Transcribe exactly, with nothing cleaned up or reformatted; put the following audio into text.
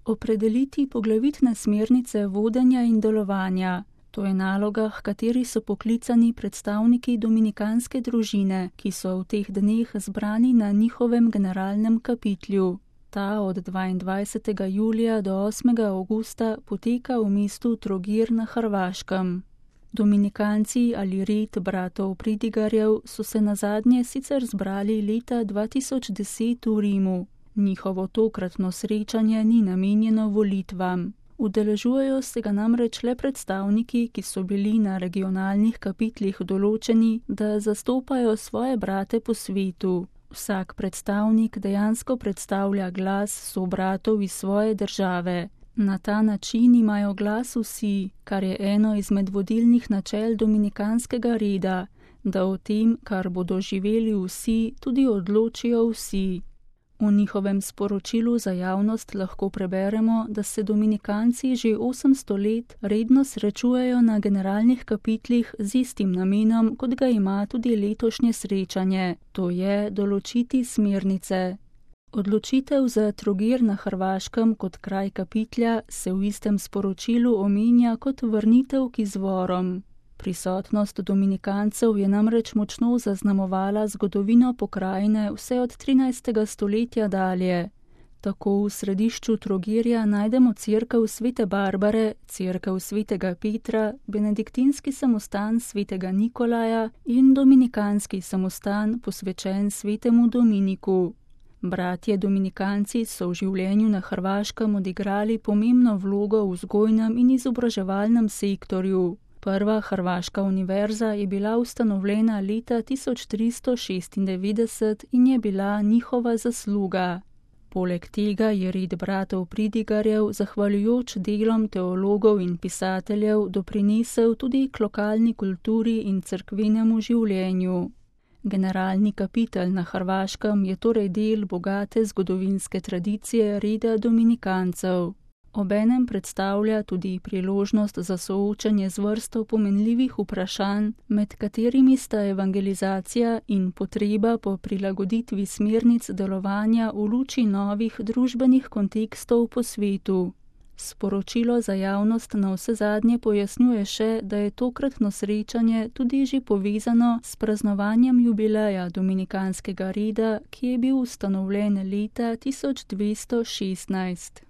Opredeliti poglavitne smernice vodenja in delovanja. To je naloga, h kateri so poklicani predstavniki dominikanske družine, ki so v teh dneh zbrani na njihovem generalnem kapitlju. Ta od dvaindvajsetega julija do osmega avgusta poteka v mestu Trogir na Hrvaškem. Dominikanci ali red bratov Pridigarjev so se nazadnje sicer zbrali leta dva tisoč deset v Rimu. Njihovo tokratno srečanje ni namenjeno volitvam. Udeležujejo se ga namreč le predstavniki, ki so bili na regionalnih kapitlih določeni, da zastopajo svoje brate po svetu. Vsak predstavnik dejansko predstavlja glas sobratov iz svoje države. Na ta način imajo glas vsi, kar je eno izmed vodilnih načel dominikanskega reda, da o tem, kar bodo živeli vsi, tudi odločijo vsi. V njihovem sporočilu za javnost lahko preberemo, da se dominikanci že osemsto let redno srečujejo na generalnih kapitlih z istim namenom, kot ga ima tudi letošnje srečanje, to je določiti smernice. Odločitev za Trogir na Hrvaškem kot kraj kapitlja se v istem sporočilu omenja kot vrnitev k izvorom. Prisotnost dominikancev je namreč močno zaznamovala zgodovino pokrajine vse od trinajstega stoletja dalje. Tako v središču Trogirja najdemo cerkev Svete Barbare, cerkev Svetega Petra, benediktinski samostan Svetega Nikolaja in dominikanski samostan posvečen Svetemu Dominiku. Bratje dominikanci so v življenju na Hrvaškem odigrali pomembno vlogo v vzgojnem in izobraževalnem sektorju. Prva hrvaška univerza je bila ustanovljena leta tisoč tristo šestindevetdeset in je bila njihova zasluga. Poleg tega je red bratov Pridigarjev, zahvaljujoč delom teologov in pisateljev, doprinesel tudi k lokalni kulturi in cerkvenemu življenju. Generalni kapitel na Hrvaškem je torej del bogate zgodovinske tradicije reda dominikancev. Obenem predstavlja tudi priložnost za soočanje z vrsto pomenljivih vprašanj, med katerimi sta evangelizacija in potreba po prilagoditvi smernic delovanja v luči novih družbenih kontekstov po svetu. Sporočilo za javnost navsezadnje pojasnjuje še, da je tokratno srečanje tudi že povezano s praznovanjem jubileja dominikanskega reda, ki je bil ustanovljen leta tisoč dvesto šestnajst.